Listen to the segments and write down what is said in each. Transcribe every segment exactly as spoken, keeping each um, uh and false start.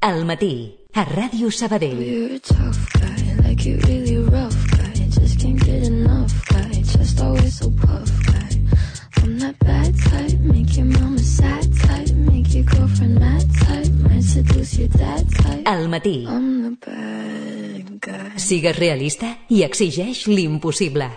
Al matí, a Ràdio Sabadell. You're a tough guy, like you really rough guy. Just can't get enough guy, just always so puff guy. I'm that bad type, make your mama sad type, make your girlfriend mad type, might seduce your dad type. Al matí. I'm the bad guy. Sigues realista i exigeix l'impossible.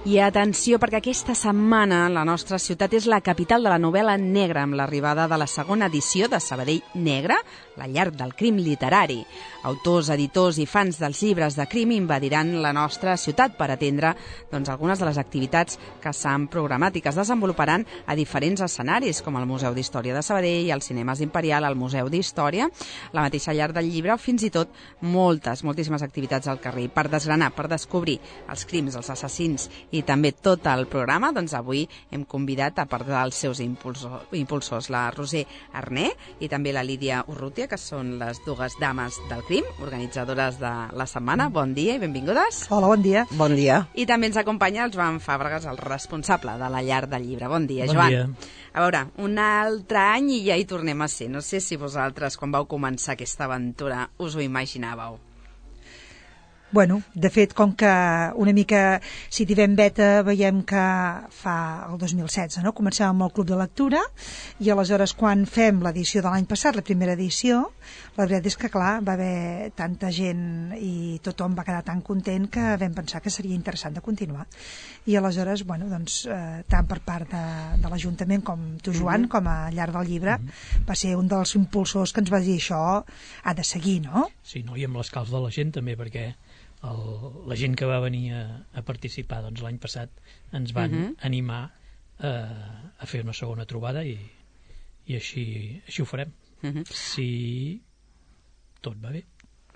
I atenció, perquè aquesta setmana la nostra ciutat és la capital de la novel·la negra, amb l'arribada de la segona edició de Sabadell Negra, la llar del crim literari. Autors, editors i fans dels llibres de crim invadiran la nostra ciutat per atendre doncs, algunes de les activitats que s'han programat i que es desenvoluparan a diferents escenaris, com el Museu d'Història de Sabadell, el Cinemes Imperial, el Museu d'Història, la mateixa llar del llibre, o fins i tot moltes, moltíssimes activitats al carrer. Per desgranar, per descobrir els crims, els assassins i també tot el programa, doncs avui hem convidat a part dels seus impulsors, impulsors la Roser Arné i també la Lídia Urrutia, que són les dues dames del crim, organitzadores de la setmana. Bon dia i benvingudes. Hola, bon dia. Bon dia. I també ens acompanya el Joan Fàbregas, el responsable de la llar del llibre. Bon dia, bon Joan. Dia. A veure, un altre any i ja hi tornem a ser. No sé si vosaltres, quan vau començar aquesta aventura, us ho imaginàveu. Bueno, de fet, com que una mica, si tirem beta, veiem que fa el dos mil setze, no? Comencem amb el Club de Lectura i aleshores quan fem l'edició de l'any passat, la primera edició, la veritat és que, clar, va haver tanta gent i tothom va quedar tan content que vam pensar que seria interessant de continuar. I aleshores, bueno, doncs, eh, tant per part de, de l'Ajuntament com tu, Joan, mm-hmm. com a llar del llibre, mm-hmm. va ser un dels impulsors que ens va dir això ha de seguir, no? Sí, no? I amb l'escalf de la gent també, perquè el, la gent que va venir a, a participar doncs, l'any passat ens van uh-huh. animar eh, a fer una segona trobada i, i així, així ho farem. Uh-huh. Si tot va bé.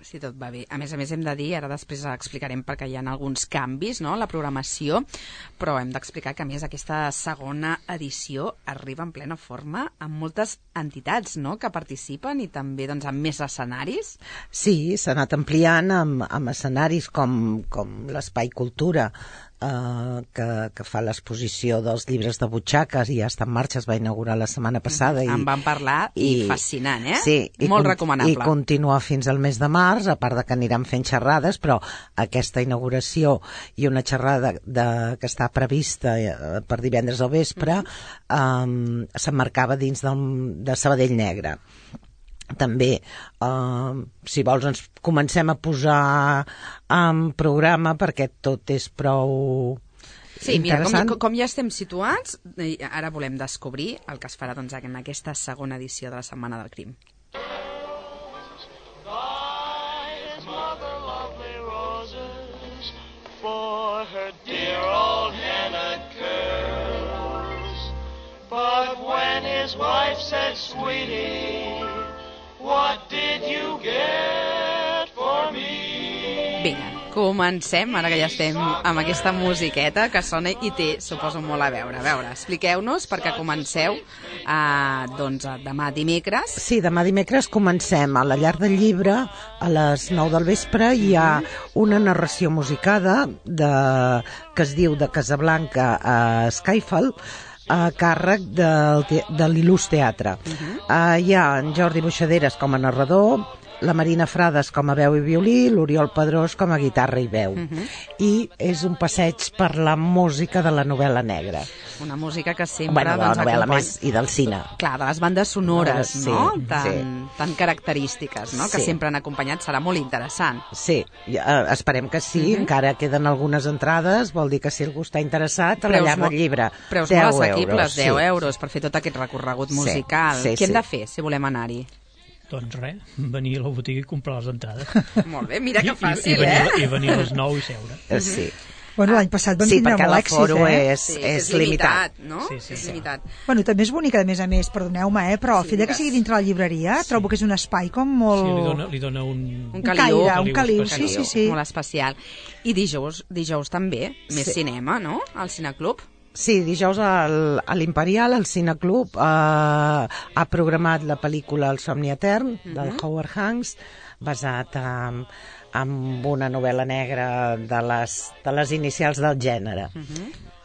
Si tot va bé. A més a més hem de dir, ara després explicarem perquè hi ha alguns canvis, no?, la programació, però hem d'explicar que a més aquesta segona edició arriba en plena forma amb moltes entitats, no?, que participen i també doncs amb més escenaris. Sí, s'ha anat ampliant amb, amb escenaris com, com l'Espai Cultura, eh, que, que fa l'exposició dels llibres de butxaques i ja està en marxa, es va inaugurar la setmana passada. Mm-hmm. En van parlar i, i fascinant, eh? Sí, i molt con- recomanable. I continua fins al mes de març, a part de que aniran fent xerrades, però aquesta inauguració i una xerrada de, que està prevista eh, per divendres al vespre mm-hmm. eh, s'emmarcava dins del, de Sabadell Negra. També, eh, si vols, ens comencem a posar en programa perquè tot és prou Sí, mira, interessant. com, com ja estem situats, ara volem descobrir el que es farà doncs, en aquesta segona edició de la Setmana del Crim. For her dear old henna curls. But when his wife said, "Sweetie, what did you get for me?" Vinga, comencem, ara que ja estem amb aquesta musiqueta que sona i té, suposo, molt a veure. A veure, expliqueu-nos perquè comenceu eh, doncs, demà dimecres. Sí, demà dimecres comencem a la llar del llibre a les nou del vespre. Hi ha una narració musicada de, que es diu de Casablanca a Skyfall, a càrrec del, te- de l'Il·lus Teatre. Uh-huh. Uh, hi ha en Jordi Buixaderes com a narrador, la Marina Frades com a veu i violí, l'Oriol Pedrós com a guitarra i veu. Uh-huh. I és un passeig per la música de la novel·la negra. Una música que sempre Bueno, de la doncs, novel·la acompanya... més i del cine. Clar, de les bandes sonores, Sí, no? Tan, sí. tan característiques, no? Que Sí. sempre han acompanyat, serà molt interessant. Sí, ja, eh, esperem que sí, Uh-huh. encara queden algunes entrades, vol dir que si algú està interessat, a la llar mo- del llibre. Preus deu molt assequibles, euros, deu sí. euros per fer tot aquest recorregut Sí, musical. sí, Què hem sí. de fer si volem anar-hi? Doncs res, venir a la botiga i comprar les entrades. Molt bé, mira que I, fàcil, i, venir, eh? I venir a les nou i seure. Eh, Sí. Bueno, l'any passat van sí, tindre perquè molt èxit, l'aforo eh? és, Sí, és, és limitat. limitat, no? Sí, sí, és sí. limitat. Bueno, també és bonica, a més a més, perdoneu-me, eh? Però el Sí, fet de que digues. sigui dintre la llibreria, Sí. trobo que és un espai com molt... Sí, li dona, li dona un... Un un caliu. caire, un caliu, sí, especial. sí, sí. Molt especial. I dijous, dijous també, més Sí. cinema, no? Al Cineclub. Sí, dijous al, a l'Imperial, el Cineclub, eh, ha programat la pel·lícula El somni etern, del Mhm. Howard Hanks, basat en, en una novel·la negra de les, de les inicials del gènere.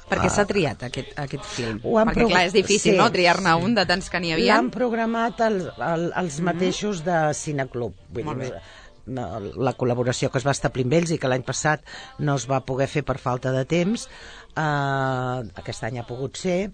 Per què s'ha triat aquest, aquest film? Ho han Perquè, prov- clar, és difícil, sí, no?, triar-ne un de tants que n'hi havia. L'han programat el, el, els mateixos de Cineclub. Vull Molt dir, bé. no, la col·laboració que es va establir amb ells i que l'any passat no es va poder fer per falta de temps, eh, aquest any ha pogut ser,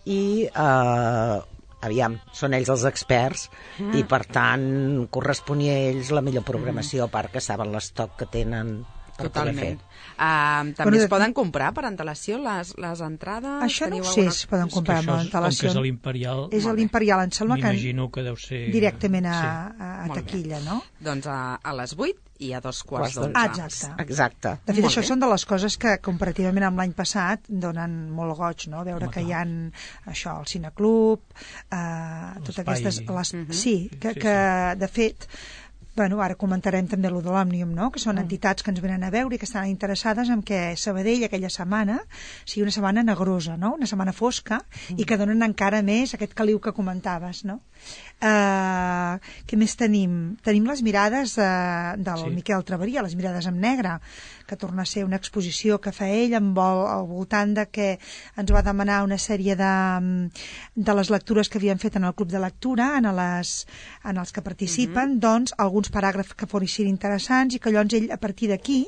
i eh, aviam, són ells els experts i per tant corresponia a ells la millor programació, a part que saben l'estoc que tenen per poder fer. Totalment. Uh, també Bueno, es de- poden comprar per antelació les, les entrades? Això no Teniu ho sé alguna- si es poden És que comprar això amb és, com que antelació. és a l'Imperial, És a l'Imperial, em sembla que m'imagino que deu ser... directament a, Sí. a, a Molt bé. taquilla, no? Doncs a, a les vuit i a dos quarts Quarts d'onze. Ah, exacte. Exacte. De fet, Molt això bé. són de les coses que, comparativament amb l'any passat, donen molt goig, no? Veure Home, que hi clar. ha això, el cineclub, eh, totes L'espai. aquestes... Les, Mhm. Sí, que, Sí, que de fet... Bueno, ara comentarem també lo de l'Òmnium, no? Que Mm. són entitats que ens venen a veure i que estan interessades en que Sabadell aquella setmana sigui una setmana negrosa, no? Una setmana fosca i que donen encara més aquest caliu que comentaves, no? Uh, què més tenim? Tenim les mirades uh, del Sí. Miquel Traveria, les mirades en negre, que torna a ser una exposició que fa ell amb vol, al voltant de que ens va demanar una sèrie de, de les lectures que havien fet en el Club de Lectura, en, les, en els que participen, mm-hmm. doncs alguns paràgrafs que fossin interessants i que llavors ell a partir d'aquí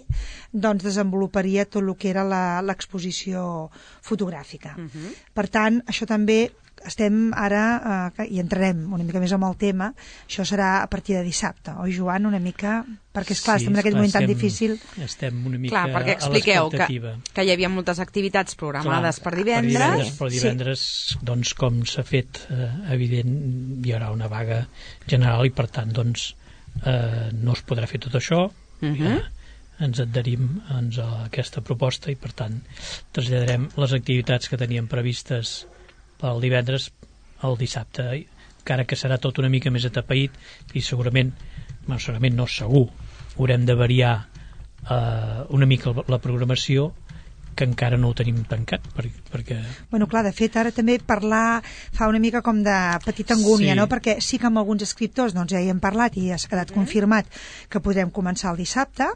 doncs desenvoluparia tot el que era la- l'exposició fotogràfica. Mhm. Per tant, això també estem ara, eh, i entrarem una mica més amb el tema, això serà a partir de dissabte, oi Joan, una mica, perquè esclar, Sí, estem en aquell esclar, moment tan estem- difícil. Estem una mica Clar, perquè a expliqueu que, l'expectativa. que hi havia moltes activitats programades Clar, per divendres. Per divendres, per Sí. divendres doncs, com s'ha fet eh, evident, hi haurà una vaga general i, per tant, doncs, eh, no es podrà fer tot això. Mhm. Ja ens adherim doncs, a aquesta proposta i, per tant, traslladarem les activitats que teníem previstes pel divendres al dissabte, encara que serà tot una mica més atapeït i segurament, bueno, segurament no, segur, haurem de variar eh, una mica la programació, que encara no ho tenim tancat, per, perquè... Bueno, clar, de fet, ara també parlar fa una mica com de petita angúnia, Sí. no? Perquè sí que amb alguns escriptors doncs, ja hi hem parlat i ja s'ha quedat confirmat que podrem començar el dissabte,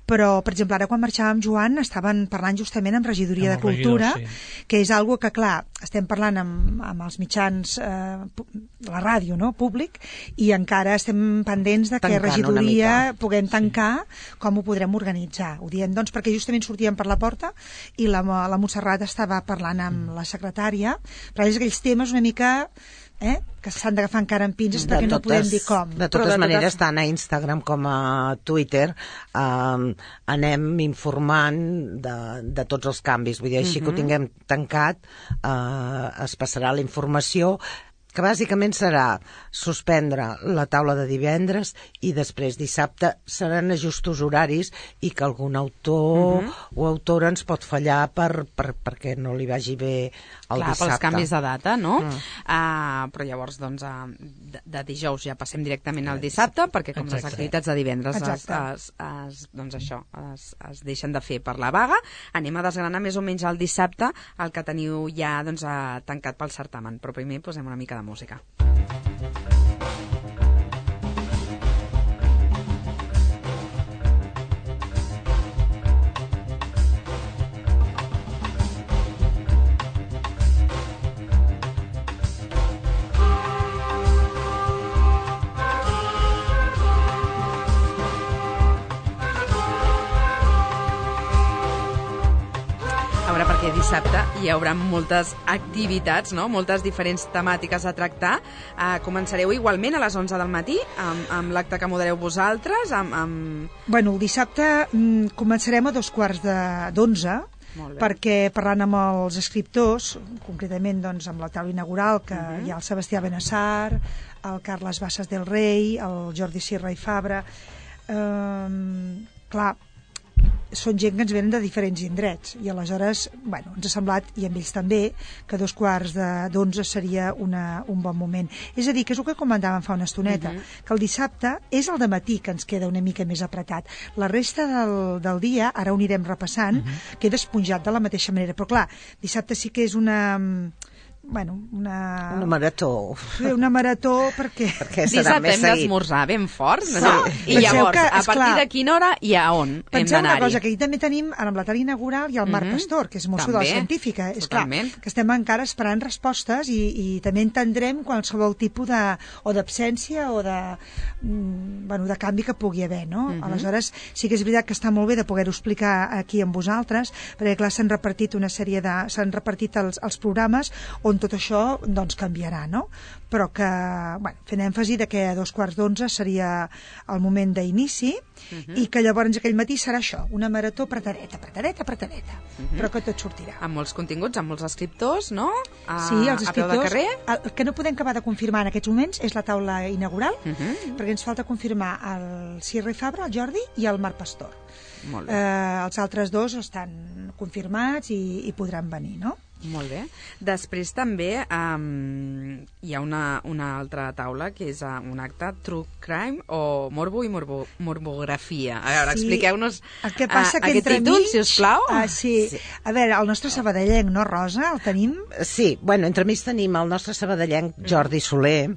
però, per exemple, ara quan marxàvem, Joan, estaven parlant justament amb Regidoria Amb de el Cultura, regidor, sí. que és algo que, clar, estem parlant amb, amb els mitjans, eh, pu- la ràdio, no?, públic, i encara estem pendents de que Tancant una Regidoria mica. puguem tancar com ho podrem organitzar. Ho diem, doncs, perquè justament sortíem per la porta i la, la Montserrat estava parlant amb la secretària, però és aquells temes una mica eh, que s'han d'agafar encara amb pinces perquè no podem dir com. De Però totes de maneres, totes- tant a Instagram com a Twitter eh, anem informant de, de tots els canvis. Vull dir, així que ho tinguem tancat, eh, es passarà la informació, que bàsicament serà suspendre la taula de divendres i després dissabte seran ajustos horaris i que algun autor o autora ens pot fallar per, per, perquè no li vagi bé el Clar, dissabte. pels canvis de data, no? Mm. Uh, però llavors, doncs, uh, de, de dijous ja passem directament al dissabte, perquè com les Exacte. activitats de divendres es, Exacte. es, es, doncs això, es, es deixen de fer per la vaga, anem a desgranar més o menys el dissabte el que teniu ja doncs, uh, tancat pel certamen. Però primer posem una mica de música. A veure, perquè dissabte hi haurà moltes activitats, no? Moltes diferents temàtiques a tractar. Uh, començareu igualment a les onze del matí, amb, amb l'acte que modereu vosaltres, amb... amb... Bueno, el dissabte mm, començarem a dos quarts de- d'onze, Molt bé. perquè parlant amb els escriptors, concretament doncs, amb la taula inaugural, que uh -huh. hi ha el Sebastià Benassar, el Carles Bassas del Rei, el Jordi Sierra i Fabra, eh, clar, són gent que ens venen de diferents indrets i aleshores, bueno, ens ha semblat, i amb ells també, que dos quarts d'onze seria una, un bon moment. És a dir, que és el que comentàvem fa una estoneta, uh -huh. que el dissabte és el dematí que ens queda una mica més apretat. La resta del, del dia, ara ho anirem repassant, uh -huh. queda esponjat de la mateixa manera, però clar, dissabte sí que és una... bueno, una... Una marató. Una marató perquè... perquè dissabte hem d'esmorzar ben fort. Sí. No? I Penseu llavors, que, a partir clar, de quina hora i a on hem penseu una d'anar-hi? cosa, que aquí també tenim amb la talla inaugural i el Marc Mhm. Pastor, que és mosso de També, la científica. És clar, totalment. que estem encara esperant respostes i, i també entendrem qualsevol tipus de, o d'absència o de, mm, bueno, de canvi que pugui haver, no? Mhm. Aleshores, sí que és veritat que està molt bé de poder-ho explicar aquí amb vosaltres, perquè clar, s'han repartit una sèrie de... s'han repartit els, els programes on tot això doncs canviarà, no? Però que, bueno, fent èmfasi de que a dos quarts d'onze seria el moment d'inici uh -huh. i que llavors aquell matí serà això, una marató apretadeta, apretadeta, apretadeta, uh -huh. però que tot sortirà. Amb molts continguts, amb molts escriptors, no? A, Sí, els a peu de escriptors. carrer. El que no podem acabar de confirmar en aquests moments és la taula inaugural, Uh -huh. perquè ens falta confirmar el Sierra i Fabra, el Jordi, i el Marc Pastor. Molt bé. Eh, els altres dos estan confirmats i, i podran venir, no? Molt bé. Després també um, hi ha una, una altra taula que és uh, un acte True Crime o Morbo i morbo, Morbografia. A veure, Sí. expliqueu-nos El que passa uh, que aquest entre títol, mig, si us plau. Ah, sí. Sí. A veure, el nostre sabadellenc, no, Rosa? El tenim? Sí, bueno, entremig tenim el nostre sabadellenc Jordi Soler,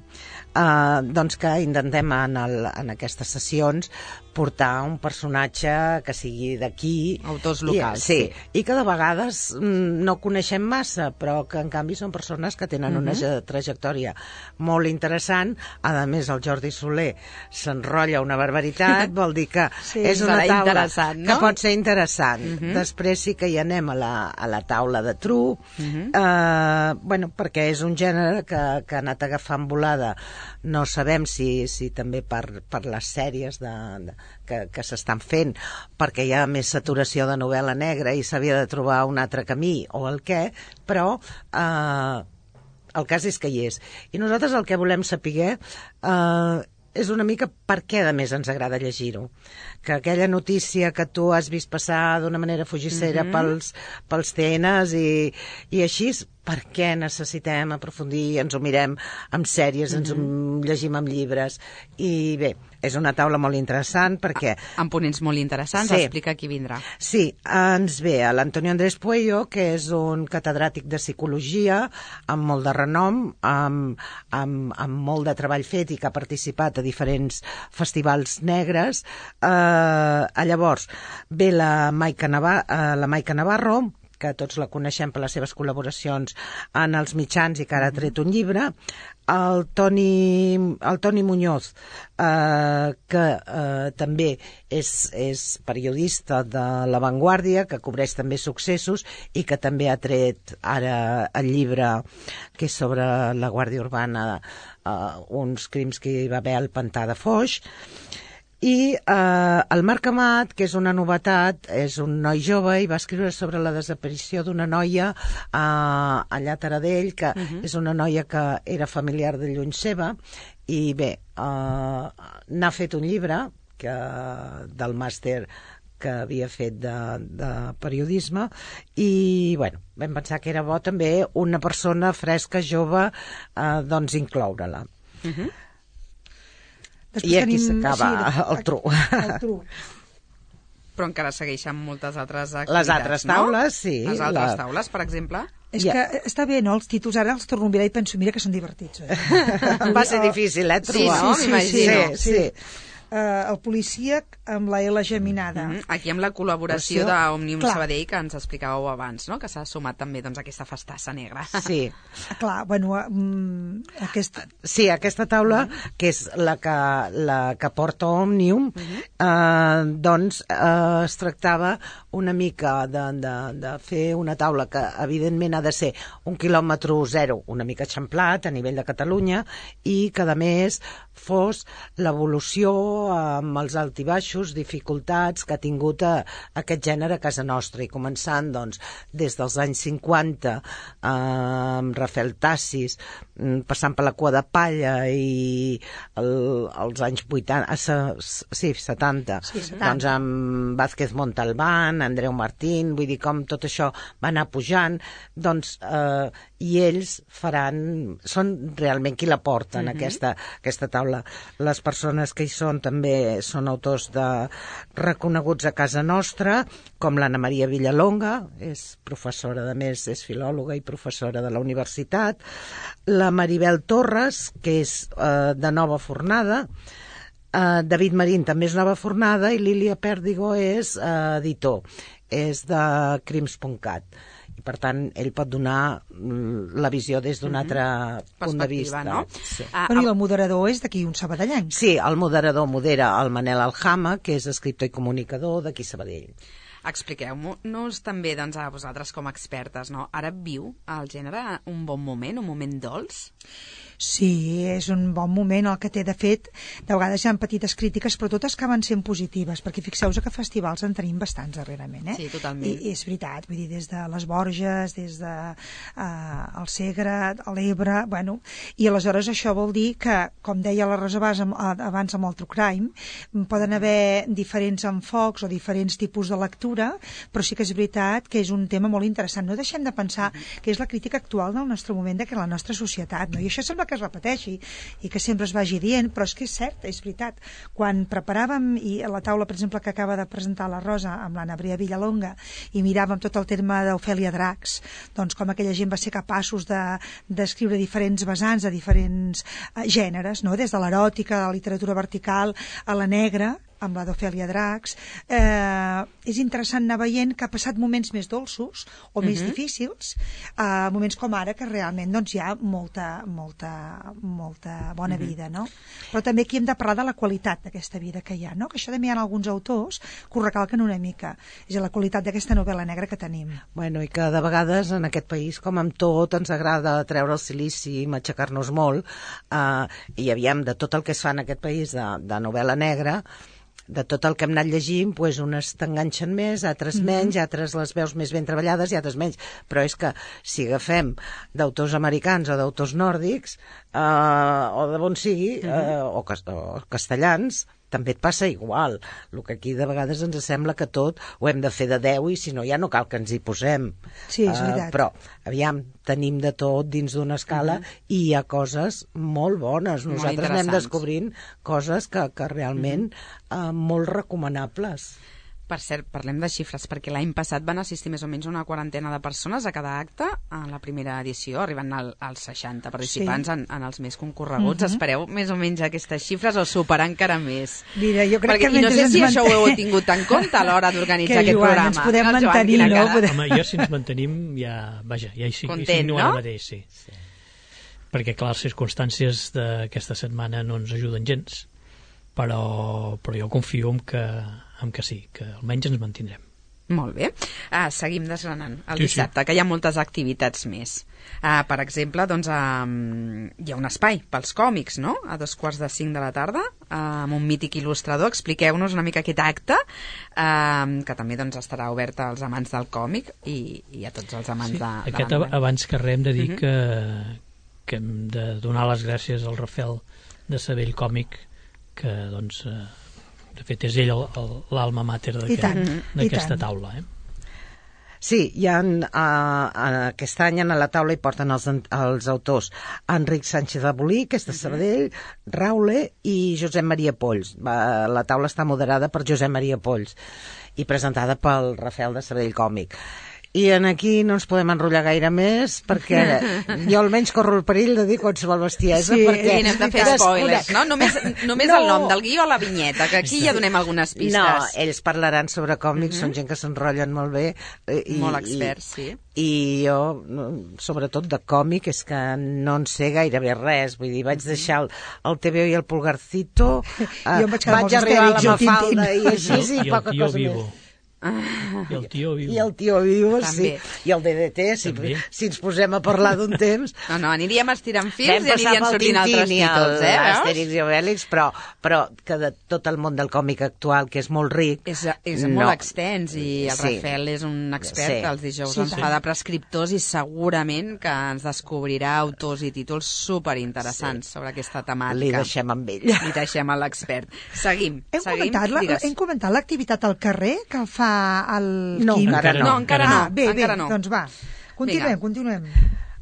eh, doncs que intentem en, el, en aquestes sessions portar un personatge que sigui d'aquí. Autors locals, I, sí, sí. i que de vegades mm, no coneixem massa, però que en canvi són persones que tenen una uh-huh. trajectòria molt interessant. A més, el Jordi Soler s'enrotlla una barbaritat, vol dir que Sí, és una serà taula interessant, no? que pot ser interessant. Uh-huh. Després sí que hi anem a la, a la taula de True, Uh-huh. eh, bueno, perquè és un gènere que, que ha anat agafant volada. No sabem si, si també per, per les sèries de, de, que, que s'estan fent, perquè hi ha més saturació de novel·la negra i s'havia de trobar un altre camí o el què, però eh, el cas és que hi és. I nosaltres el que volem saber eh, és una mica per què a més ens agrada llegir-ho. Que aquella notícia que tu has vist passar d'una manera fugissera Mhm. pels, pels T Ns i, i així, per què necessitem aprofundir, ens ho mirem amb sèries, ens ho llegim amb llibres. I bé, és una taula molt interessant perquè... Amb ponents molt interessants, Sí. explica qui vindrà. Sí, ens ve l'Antonio Andrés Puello, que és un catedràtic de psicologia amb molt de renom, amb, amb, amb molt de treball fet i que ha participat a diferents festivals negres. Eh, llavors, ve la Maica, Navar eh, la Maica Navarro, que tots la coneixem per les seves col·laboracions en els mitjans i que ara ha tret un llibre, el Toni, el Toni Muñoz, eh, que eh, també és, és periodista de La Vanguardia, que cobreix també successos i que també ha tret ara el llibre que és sobre la Guàrdia Urbana, eh, uns crims que hi va haver al Pantà de Foix. I eh, el Marc Amat, que és una novetat, és un noi jove i va escriure sobre la desaparició d'una noia eh, allà a Taradell, que uh-huh. és una noia que era familiar de lluny seva, i bé, eh, n'ha fet un llibre que, del màster que havia fet de, de periodisme i bueno, vam pensar que era bo també una persona fresca, jove, eh, doncs incloure-la. Uh-huh. Després I aquí tenim- s'acaba sí, el True. El True. Però encara segueixen moltes altres activitats, Les altres taules, no? sí, Les altres la- taules, per exemple. És Ja. que està bé, no? Els títols ara els torno a mirar i penso, mira que són divertits. Eh? Va ser difícil, eh, Sí, trobar. no? sí, M'imagino. Sí, sí. Uh, el policíac amb la L geminada. Mm -hmm. Aquí amb la col·laboració Col·laboració. d'Òmnium Clar. Sabadell, que ens explicàveu abans, no? Que s'ha sumat també doncs, a aquesta festassa negra. Sí. Clar, bueno, um, aquest... Sí, aquesta taula, que és la que, la que porta Òmnium, eh, doncs eh, es tractava una mica de, de, de fer una taula que evidentment ha de ser un quilòmetre zero, una mica eixamplat a nivell de Catalunya, i que a més fos l'evolució amb els altibaixos enganxos, dificultats que ha tingut a, a aquest gènere a casa nostra, i començant doncs, des dels anys cinquanta eh, amb Rafael Tassis, passant per la Cua de Palla i el, els anys vuitanta, eh, sí, setanta, sí, setanta, doncs amb Vázquez Montalbán, Andreu Martín, vull dir com tot això va anar pujant, doncs eh, i ells faran, són realment qui la porten, mm-hmm. aquesta, aquesta taula. Les persones que hi són també són autors de reconeguts a casa nostra, com l'Anna Maria Villalonga, és professora, de més, és filòloga i professora de la universitat, la Maribel Torres, que és eh, de Nova Fornada, eh, David Marín també és Nova Fornada, i Lília Pèrdigo és eh, editor, és de crims punt cat. I per tant ell pot donar la visió des d'un altre mm-hmm. punt de vista, no? Sí. Ah, bueno, i el moderador és d'aquí un sabadellenc. Sí, el moderador modera el Manel Aljama, que és escriptor i comunicador d'aquí Sabadell. Expliqueu-nos també, doncs, a vosaltres com a expertes, no? Ara viu el gènere un bon moment, un moment dolç? Sí, és un bon moment el que té. De fet, de vegades hi ha petites crítiques, però totes acaben sent positives, perquè fixeu-vos que festivals en tenim bastants darrerament, eh? Sí, totalment. I, i és veritat, vull dir, des de les Borges, des de uh, el Segre, l'Ebre, bueno, i aleshores això vol dir que, com deia la Rosa Bas abans amb el True Crime, poden haver diferents enfocs o diferents tipus de lectura, però sí que és veritat que és un tema molt interessant. No deixem de pensar que és la crítica actual del nostre moment, de que la nostra societat, no? I això sembla que es repeteixi i que sempre es vagi dient, però és que és cert, és veritat. Quan preparàvem, i a la taula, per exemple, que acaba de presentar la Rosa amb l'Anna Maria Villalonga, i miràvem tot el terme d'Ofèlia Dracs, doncs com aquella gent va ser capaços de d'escriure diferents vessants de diferents uh, gèneres, no? Des de l'eròtica, de la literatura vertical, a la negra, amb la d'Ofèlia Dracs, eh, és interessant anar veient que ha passat moments més dolços o més uh-huh. difícils, eh, moments com ara que realment doncs, hi ha molta, molta, molta bona uh-huh. vida, no? Però també aquí hem de parlar de la qualitat d'aquesta vida que hi ha, no? Que això també hi ha alguns autors que ho recalquen una mica, és la qualitat d'aquesta novel·la negra que tenim. Bueno, i que de vegades en aquest país, com amb tot, ens agrada treure el silici i matxacar-nos molt, eh, i aviam, de tot el que es fa en aquest país de, de novel·la negra, de tot el que hem anat llegint, doncs unes t'enganxen més, altres menys, mm-hmm. altres les veus més ben treballades i altres menys. Però és que si agafem d'autors americans o d'autors nòrdics, eh, o de bon sigui, mm-hmm. eh, o, cas o castellans, també et passa igual. El que aquí de vegades ens sembla que tot ho hem de fer de deu i si no ja no cal que ens hi posem. Sí, és veritat. Uh, però, aviam, tenim de tot dins d'una escala uh-huh. i hi ha coses molt bones. Molt Nosaltres anem descobrint coses que, que realment uh-huh. uh, molt recomanables. Per cert, parlem de xifres, perquè l'any passat van assistir més o menys una quarantena de persones a cada acte en la primera edició, arribant al, als seixanta participants sí. en, en els més concorreguts. Uh-huh. Espereu més o menys aquestes xifres o superar encara més? Mira, jo crec perquè, que i no sé si manten... això ho heu tingut en compte a l'hora d'organitzar aquest Joan, programa. Ens podem no, mantenir, Joan, no? Podem... Home, jo si ens mantenim ja, vaja, ja hi sigui, Content, no? Ara mateix, sí. sí. Perquè, clar, les circumstàncies d'aquesta setmana no ens ajuden gens, però, però jo confio en que amb que sí, que almenys ens mantindrem. Molt bé. Uh, seguim desgranant el sí, dissabte, sí. que hi ha moltes activitats més. Uh, per exemple, doncs, uh, hi ha un espai pels còmics, no?, a dos quarts de cinc de la tarda, uh, amb un mític il·lustrador. Expliqueu-nos una mica aquest acte, uh, que també doncs, estarà obert als amants del còmic i, i a tots els amants sí, de, de aquest la novel·la. Abans que res hem de dir uh-huh. que, que hem de donar les gràcies al Rafael de Sabell Còmic, que, doncs... Uh, de fet, és ell l'alma mater d'aquesta taula. Eh? Sí, hi ha, uh, aquest any a la taula hi porten els, els autors Enric Sánchez de Bolí, que és de Sabadell, Raule i Josep Maria Polls. La taula està moderada per Josep Maria Polls i presentada pel Rafael de Sabadell Còmic. I en aquí no ens podem enrotllar gaire més perquè jo almenys corro el perill de dir qualsevol bestiesa. Sí, perquè i anem de fer spoilers, no? Només, només no. El nom del guió a la vinyeta, que aquí ja donem algunes pistes. No, ells parlaran sobre còmics, uh-huh. són gent que s'enrotllen molt bé. I, molt experts, sí. I jo, sobretot de còmic, és que no en sé gairebé res. Vull dir, vaig deixar el, el T V O i el Pulgarcito, uh, vaig, vaig arribar a la Mafalda i així, i, i poca cosa vivo. més. Ah. I el tio vivo. I el tio vivo, també. Sí. I el D D T, si, si ens posem a parlar d'un temps... No, no, aniríem estirant fils Vam i anirien sortint altres títols, eh? Astèrix i Obèlix, però, però que de tot el món del còmic actual, que és molt ric... És, és no. molt extens i el Sí. Rafael és un expert Sí. que els dijous Sí, ens tant. fa de prescriptors i segurament que ens descobrirà autors i títols superinteressants sí. sobre aquesta temàtica. Li deixem amb ell. Li deixem a l'expert. Seguim, Hem seguim. comentat, la, Digues. hem comentat l'activitat al carrer que el fa el No, Quim? encara No, encara no, Ah, bé, encara bé, no. doncs va. Continuem, Vinga. continuem.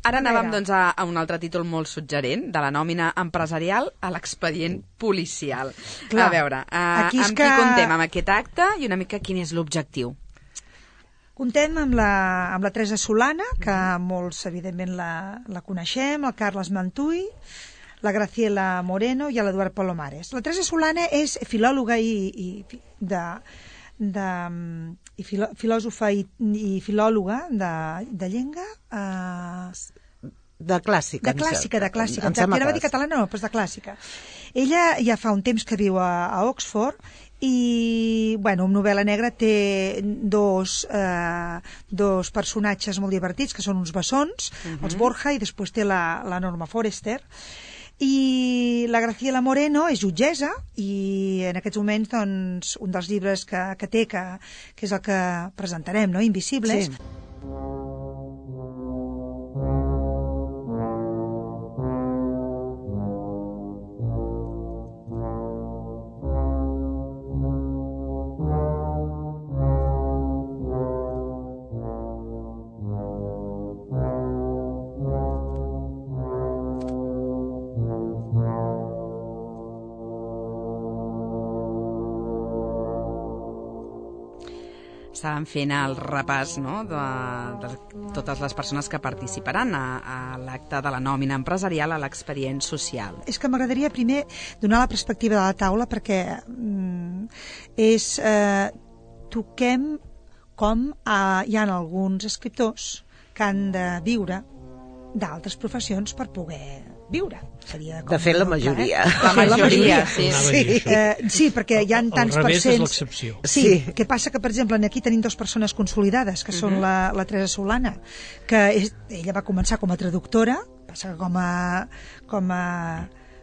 Ara anàvem Enrere. doncs, a, a un altre títol molt suggerent, de la nòmina empresarial a l'expedient policial. Clar, a veure, uh, aquí és amb que- qui contem amb aquest acte i una mica quin és l'objectiu? Contem amb la, amb la Teresa Solana, que molts, evidentment, la, la coneixem, el Carles Mantuy, la Graciela Moreno i l'Eduard Palomares. La Teresa Solana és filòloga i, i de, de, i filò, filòsofa i, i filòloga de, de llengua... Eh, De clàssica. de clàssica, de clàssica. Em sembla Anava a que dir catalana, no, però és de clàssica. Ella ja fa un temps que viu a, a Oxford i, bueno, amb novel·la negra té dos, eh, dos personatges molt divertits, que són uns bessons, uh-huh. els Borja, i després té la, la Norma Forrester. I la Graciela Moreno és jutgessa i en aquests moments doncs, un dels llibres que, que té, que, que és el que presentarem, no? Invisibles. Sí. Estàvem fent el repàs, no?, de, de totes les persones que participaran a, a l'acte de la nòmina empresarial a l'expedient social. És que m'agradaria primer donar la perspectiva de la taula perquè mm, és... Eh, toquem com eh, hi ha alguns escriptors que han de viure d'altres professions per poder viure. Seria com De fet, la un pla, majoria. eh? La majoria, sí. Anava a dir això. Eh, sí, perquè hi ha Al tants revés és percents... l'excepció. Sí, Sí. que passa que, per exemple, aquí tenim dues persones consolidades, que són la, la Teresa Solana, que és, ella va començar com a traductora, passa que com a, com a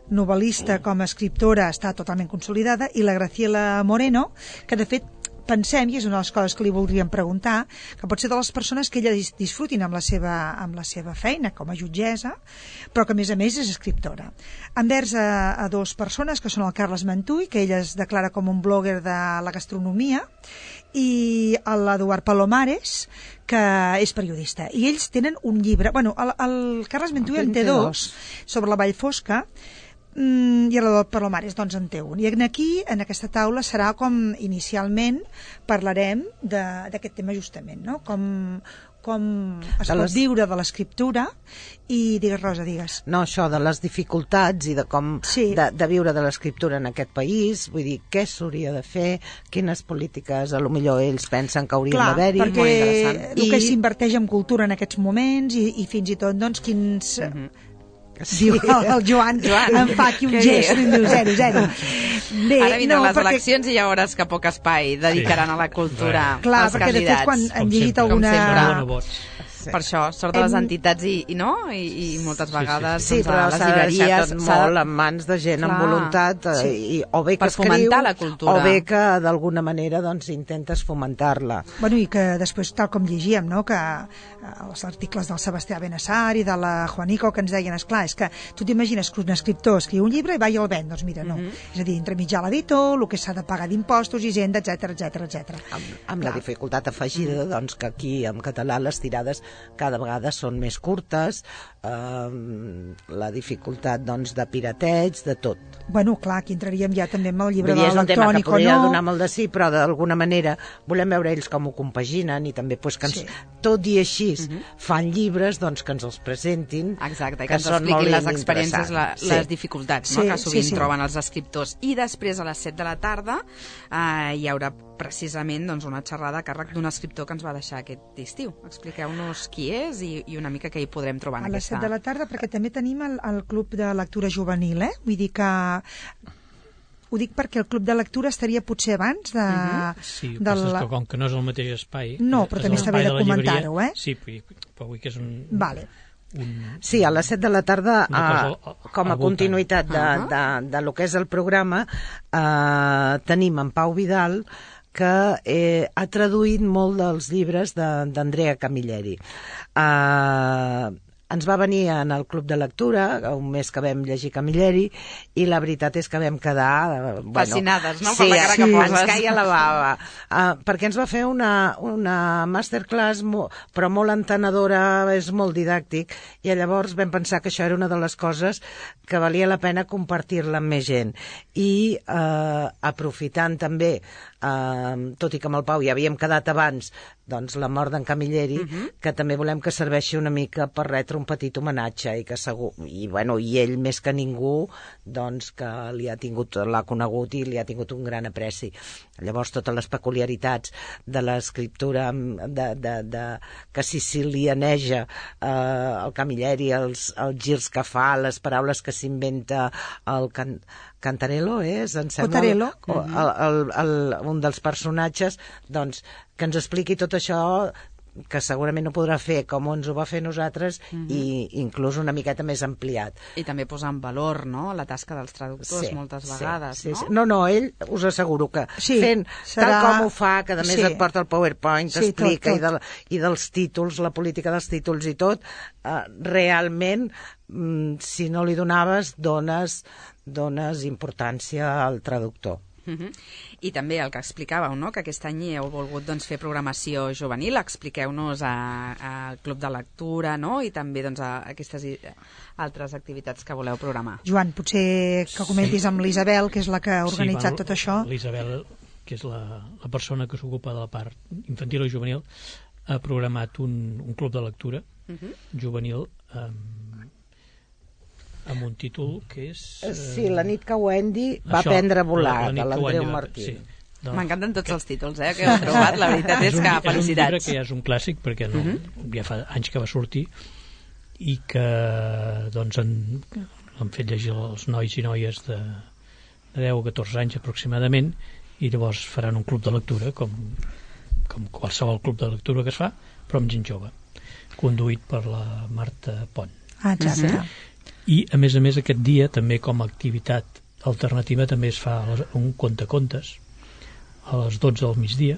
novel·lista, com a escriptora, està totalment consolidada, i la Graciela Moreno, que de fet pensem, i és una de les coses que li voldríem preguntar, que pot ser de les persones que ella dis disfrutin amb la seva, amb la seva feina com a jutgessa, però que a més a més és escriptora. Envers a, a dues persones, que són el Carles Mantuy, que ella es declara com un blogger de la gastronomia, i l'Eduard Palomares, que és periodista. I ells tenen un llibre... Bueno, el, el Carles Mantuy en té dos, sobre la Vall Fosca, Mm, i el Palomares doncs en té un, i aquí en aquesta taula serà com inicialment parlarem d'aquest tema justament, no? com, com es pot les... viure de l'escriptura i digues Rosa, digues No, això de les dificultats i de com Sí. de, de viure de l'escriptura en aquest país, vull dir, què s'hauria de fer, quines polítiques a lo millor ells pensen que haurien clar, d'haver-hi. perquè molt interessant. el que I- s'inverteix en cultura en aquests moments i, i fins i tot doncs quins... Sí. Diu el, el Joan, Joan, em fa aquí un què gest i em diu zero, zero. Bé, Ara vindran no, les perquè- eleccions i ja veuràs que poc espai dedicaran a la cultura Clar, als perquè de fet candidats. quan Com hem llegit sempre. Com alguna... sempre. Dona vots. Per això, sort de les Hem- entitats i, i no? I, i moltes sí, vegades Sí, doncs, però a les s'ha de deixar llibreries tot s'ha de- molt en mans de gent amb Clar, voluntat, eh, sí. i, o bé que Per escriu, fomentar la cultura. o bé que d'alguna manera doncs, intentes fomentar-la. Bueno, i que després, tal com llegíem, no? que eh, els articles del Sebastià Benassar i de la Juanico que ens deien, esclar, és que tu t'imagines que un escriptor escriu un llibre i va i el ven, doncs mira, no. Mhm. És a dir, entremitjar l'editor, el que s'ha de pagar d'impostos, hisenda, etc etc etc. Amb, amb la dificultat afegida doncs, que aquí en català les tirades cada vegada són més curtes, eh, la dificultat doncs, de pirateig, de tot. Bueno, clar, aquí entraríem ja també amb el llibre Vull dir, de és un tema que l'electrònic o podria no. donar molt de sí, però d'alguna manera volem veure ells com ho compaginen i també pues, que ens, Sí. tot i així fan llibres doncs, que ens els presentin, Exacte, i que, que ens són molt expliquin les ben experiències, la, interessants. les Sí. dificultats Sí, no? que sovint sí, sí. troben els escriptors. I després, a les set de la tarda, eh, hi haurà precisament doncs, una xerrada a càrrec d'un escriptor que ens va deixar aquest estiu. Expliqueu-nos qui és i, i una mica què hi podrem trobar en A les aquesta... set de la tarda, perquè també tenim el, el club de lectura juvenil, eh? Vull dir que ho dic perquè el club de lectura estaria potser abans de... Uh-huh. Sí, de la... la... que com que no és el mateix espai... No, però també està bé de comentar-ho, eh? Sí, però vull que és un... Vale. Un... Sí, a les set de la tarda, cosa, eh, com a continuïtat de, de, de, de lo que és el programa, eh, tenim en Pau Vidal, que eh, ha traduït molt dels llibres d'Andrea Camilleri. Eh, ens va venir en el club de lectura, un mes que vam llegir Camilleri, i la veritat és que vam quedar... Bueno, fascinades, no? Sí, per la cara sí, que poses. ens caia la bava. Uh, perquè ens va fer una, una masterclass, mo, però molt entenedora, és molt didàctic, i llavors vam pensar que això era una de les coses que valia la pena compartir-la amb més gent. I uh, aprofitant també, uh, tot i que amb el Pau ja havíem quedat abans, doncs la mort d'en Camilleri, uh-huh. que també volem que serveixi una mica per retre un petit homenatge i que segur, i bueno, i ell més que ningú, doncs que li ha tingut, l'ha conegut i li ha tingut un gran apreci. Llavors totes les peculiaritats de l'escriptura de, de, de, que sicilianeja eh, el Camilleri, els, els girs que fa, les paraules que s'inventa, el can, Cantarello és, em sembla, Cotarello. el, el, el, un dels personatges, doncs, que ens expliqui tot això, que segurament no podrà fer com ens ho va fer nosaltres, mm-hmm. i inclús una miqueta més ampliat. I també posar en valor, no?, la tasca dels traductors, sí, moltes sí, vegades, sí, no? Sí. No, no, ell us asseguro que sí, fent serà... tal com ho fa, que a més sí. et porta el PowerPoint, sí, t'explica, tot, tot. i, de, i dels títols, la política dels títols i tot, eh, realment, mm, si no li donaves, dones, dones importància al traductor. Uh-huh. I també el que explicàveu, no?, que aquest any heu volgut doncs, fer programació juvenil. Expliqueu-nos al club de lectura, no?, i també doncs, a aquestes altres activitats que voleu programar. Joan, potser que comentis amb l'Isabel, que és la que ha organitzat sí, bueno, tot això. L'Isabel, que és la, la persona que s'ocupa de la part infantil i juvenil, ha programat un, un club de lectura uh-huh. juvenil amb amb un títol que és... Eh... Sí, la nit que Wendy va això, aprendre a volar, la, la de l'Andreu va... Martí. Sí. Doncs... M'encanten tots els títols, eh, que heu trobat, la veritat és, és un, que felicitats. És un llibre que ja és un clàssic, perquè no, uh-huh. ja fa anys que va sortir, i que doncs han, han fet llegir els nois i noies de, de deu a catorze anys aproximadament, i llavors faran un club de lectura, com, com qualsevol club de lectura que es fa, però amb gent jove, conduït per la Marta Pont. Ah, exacte. Uh-huh. I a més a més aquest dia també com a activitat alternativa també es fa un contacontes a les dotze del migdia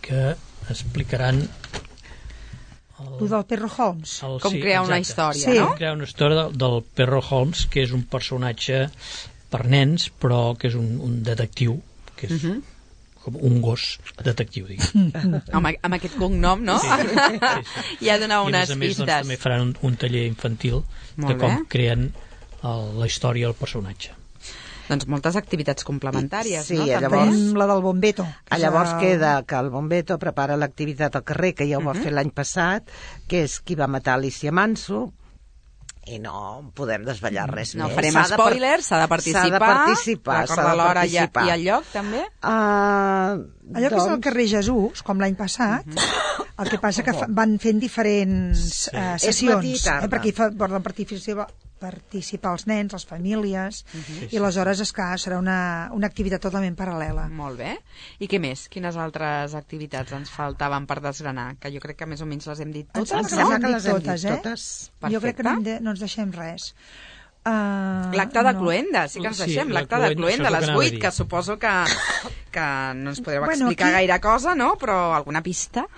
que explicaran el, el del Perro Holmes el, com sí, crear exacte. Una història, sí. no? Com crear una història del, del Perro Holmes, que és un personatge per nens però que és un, un detectiu que és uh-huh. com un gos detectiu, diguem. amb, amb aquest cognom, no? Sí, sí, sí. Ja dona unes I a més a més pistes. doncs, també faran un, un taller infantil Molt de com bé. creen el, la història del personatge. Doncs moltes activitats complementàries, sí, no? Llavors, tenim la del Bombeto. Llavors el... queda que el Bombeto prepara l'activitat al carrer, que ja ho va uh-huh. fer l'any passat, que és qui va matar Alicia Manso, i no podem desvetllar res no més. No farem spoilers, s'ha de participar. S'ha de participar. Recorda l'hora i, i el lloc, també? Uh, Allò doncs... que és el carrer Jesús, com l'any passat, uh-huh. el que passa que fa, van fent diferents sí. uh, sessions, eh, perquè hi fa, poden participar, participar els nens, les famílies, uh-huh. i aleshores és clar, serà una, una activitat totalment paral·lela. Molt bé. I què més? Quines altres activitats ens faltaven per desgranar? Que jo crec que més o menys les hem dit totes, ens no? que les hem totes, dit eh? totes. Perfecte. Jo crec que no, de, no ens deixem res. Uh, l'acte de no. Cluenda, sí que ens deixem, sí, l'acte de Cluenda, a les vuit, que suposo que, que no ens podreu bueno, explicar aquí... gaire cosa, no? Però alguna pista?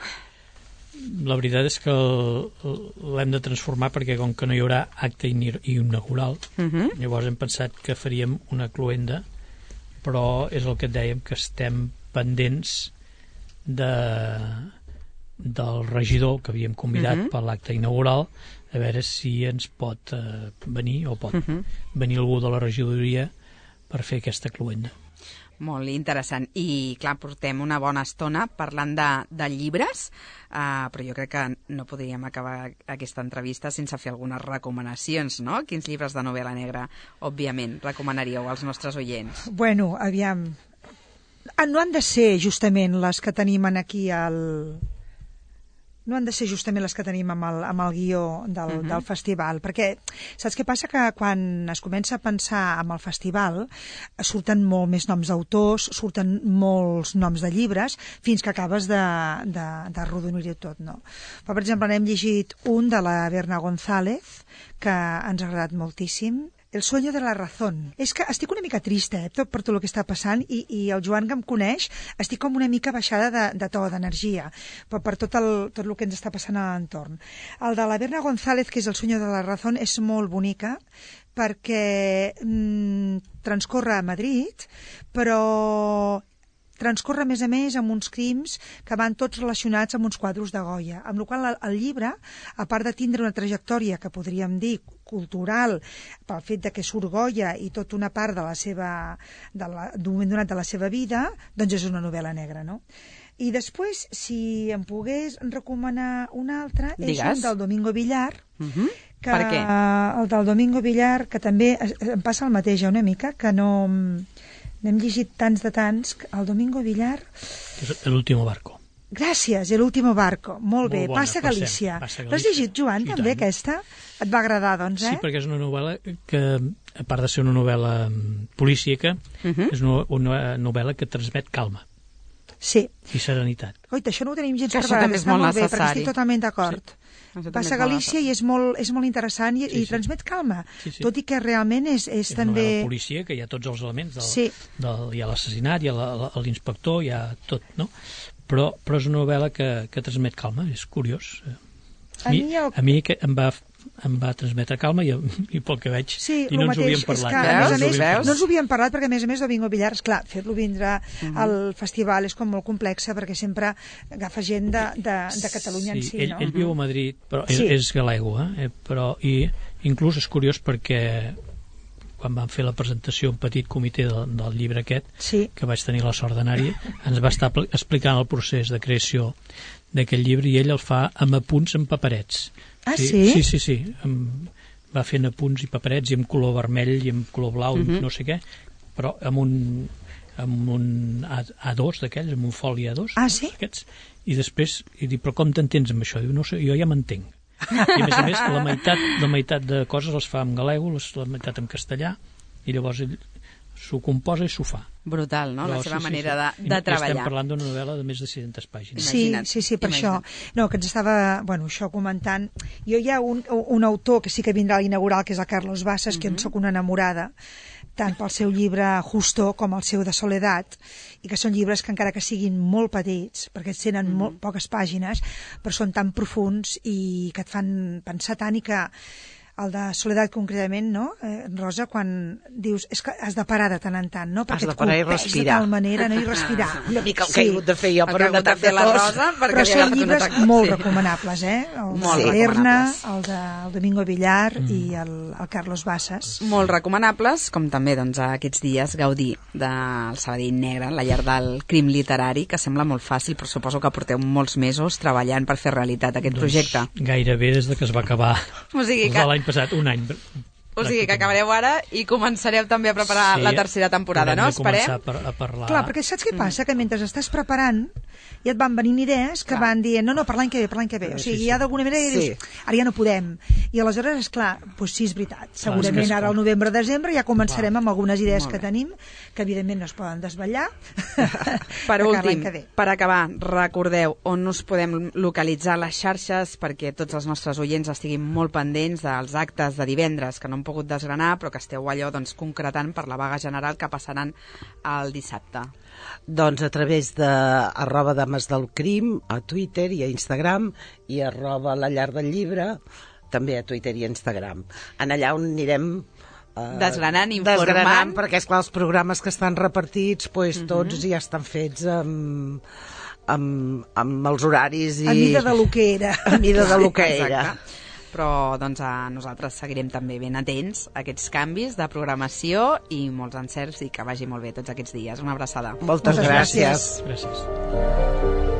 La veritat és que l'hem de transformar perquè com que no hi haurà acte inaugural, uh-huh. llavors hem pensat que faríem una cluenda, però és el que et dèiem, que estem pendents de, del regidor que havíem convidat uh-huh. per l'acte inaugural, a veure si ens pot eh, venir o pot uh-huh. venir algú de la regidoria per fer aquesta cluenda. Molt interessant. I, clar, portem una bona estona parlant de, de llibres, uh, però jo crec que no podríem acabar aquesta entrevista sense fer algunes recomanacions, no? Quins llibres de novel·la negra, òbviament, recomanaríeu als nostres oients? Bueno, aviam... No han de ser justament les que tenim aquí al... no han de ser justament les que tenim amb el, amb el guió del, uh -huh. del festival, perquè saps què passa? Que quan es comença a pensar amb el festival surten molt més noms d'autors, surten molts noms de llibres, fins que acabes de, de, de rodonir-ho tot, no? Però, per exemple, n'hem llegit un de la Berna González, que ens ha agradat moltíssim, El sueño de la razón. És que estic una mica trista, eh, tot, per tot el que està passant, i, i el Joan, que em coneix, estic com una mica baixada de, de to, d'energia, per, per tot, el, tot el que ens està passant a l'entorn. El de la Berna González, que és El sueño de la razón, és molt bonica, perquè mm, transcorre a Madrid, però transcorre, a més a més, amb uns crims que van tots relacionats amb uns quadros de Goya, amb la qual cosa el llibre, a part de tindre una trajectòria que podríem dir cultural, pel fet de que surt Goya i tota una part de la seva, d'un moment donat de la seva vida, doncs és una novel·la negra, no? I després, si em pogués recomanar una altra, és Digues. un del Domingo Villar, Uh-huh. que, Per què? el del Domingo Villar, que també em passa el mateix, una mica, que no... N'hem llegit tants de tants, el Domingo Villar... És l'último barco. Gràcies, El último barco. Molt, Molt bé, bona, Passa per Galícia. cert, Passa L'has Galícia. llegit, Joan, I també, tant. aquesta? Et va agradar, doncs, eh? Sí, perquè és una novel·la que, a part de ser una novel·la mm, policíaca, Uh-huh. és una, una novel·la que transmet calma Sí. i serenitat. Oita, això no ho tenim gens Que això preparat, també és està molt molt bé, perquè necessari. estic totalment d'acord. Això també Passa és molt Galícia i és molt, és molt interessant i, Sí, i sí. transmet calma, Sí, sí. tot i que realment és, és, És una també... novel·la policia que hi ha tots els elements del, Sí. del, hi ha l'assassinat, hi ha la- la- l'inspector, hi ha tot, no? Però, però és una novel·la que, que transmet calma, és curiós. A mi el- a mi que em va, em va transmetre calma i, i pel que veig Sí, i el no ens mateix, havíem és parlat. que, no a més ens a més, havíem parlat. no ens ho havíem parlat perquè, a més a més, Domingo Villar, esclar, fer-lo vindre al festival és com molt complex perquè sempre agafa gent de, de, de Catalunya en si, ell, no? ell viu a Madrid, però Sí. és, és galego, eh? Però, i inclús és curiós perquè quan vam fer la presentació un petit comitè del, del llibre aquest, Sí. que vaig tenir la sort d'anar-hi, ens va estar pl- explicant el procés de creació d'aquest llibre i ell el fa amb apunts en paperets. Ah, sí? Sí, sí, sí. Amb, va fent apunts i paperets i amb color vermell i amb color blau, Mhm. no sé què, però amb un, amb un A- A2 d'aquells, amb un foli A dos. Ah, sí? Aquests. I després, i dic, però com t'entens amb això? Diu, no sé, jo ja m'entenc. I a més a més, la meitat, la meitat de coses les fa en galego, les, la meitat en castellà, i llavors ell s'ho composa i s'ho fa. Brutal, no? La Però seva sí, sí, manera sí. de, I de estem treballar. parlant d'una novel·la de més de sis-centes pàgines. Sí, Imagina't, sí, sí, per imagina't. això. No, que ens estava, bueno, això comentant. Jo hi ha un, un autor que sí que vindrà a l'inaugural, que és el Carlos Bassas, que en sóc una enamorada, tant pel seu llibre Justo com el seu de Soledat, i que són llibres que encara que siguin molt petits, perquè tenen mm -hmm. molt poques pàgines, però són tan profuns i que et fan pensar tant, i que el de Soledat concretament, no, eh, Rosa, quan dius, és que has de parar de tant en tant, no? Perquè de et parar i colpeix respirar. de tal manera, no? I respirar. Una mica el que he hagut de fer jo El per que ha un hagut de atac de fer la tos. Rosa, perquè Però li ha són agafat un llibres atac. molt Sí. recomanables, eh? El Molt de Berna, recomanables. el de el Domingo Villar mm. i el, el Carlos Bassas. Molt recomanables, com també doncs, aquests dies gaudir del Sabadell Negre, la llar del crim literari, que sembla molt fàcil, però suposo que porteu molts mesos treballant per fer realitat aquest projecte. Doncs gairebé des de que es va acabar O sigui des que- de l'any passat, un any. O sigui que acabareu ara i començareu també a preparar Sí, la tercera temporada, no? haurem de començar Esperem. a, par a parlar. Clar, perquè saps què passa? Que mentre estàs preparant i et van venint idees que Clar. van dient, no, no, per l'any que ve, per l'any que ve. O sigui, Sí, sí. ja d'alguna manera Sí. dius, ara ja no podem. I aleshores, esclar, doncs sí, és veritat. és Segurament que és ara al com- novembre-desembre ja començarem amb algunes idees Molt que bé. tenim, que evidentment no es poden desvetllar. Per de cara a l'any últim, que ve. per acabar, recordeu on us podem localitzar les xarxes perquè tots els nostres oients estiguin molt pendents dels actes de divendres que no hem pogut desgranar, però que esteu allò doncs, concretant per la vaga general que passaran el dissabte. Doncs a través de arroba Dames del Crim, a Twitter i a Instagram, i arroba La Llar del Llibre, també a Twitter i a Instagram. En allà on anirem eh, Desgranant, informant. desgranant, perquè esclar, els programes que estan repartits pues, tots ja estan fets amb, amb, amb els horaris i... A mida de lo que era. a mida de lo que era. Exacte. Però doncs, a nosaltres seguirem també ben atents a aquests canvis de programació i molts encerts i que vagi molt bé tots aquests dies. Una abraçada. Moltes, Moltes gràcies. Gràcies.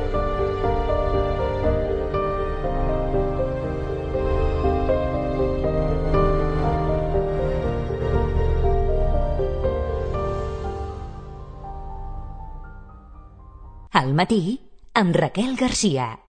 Al matí, amb Raquel Garcia.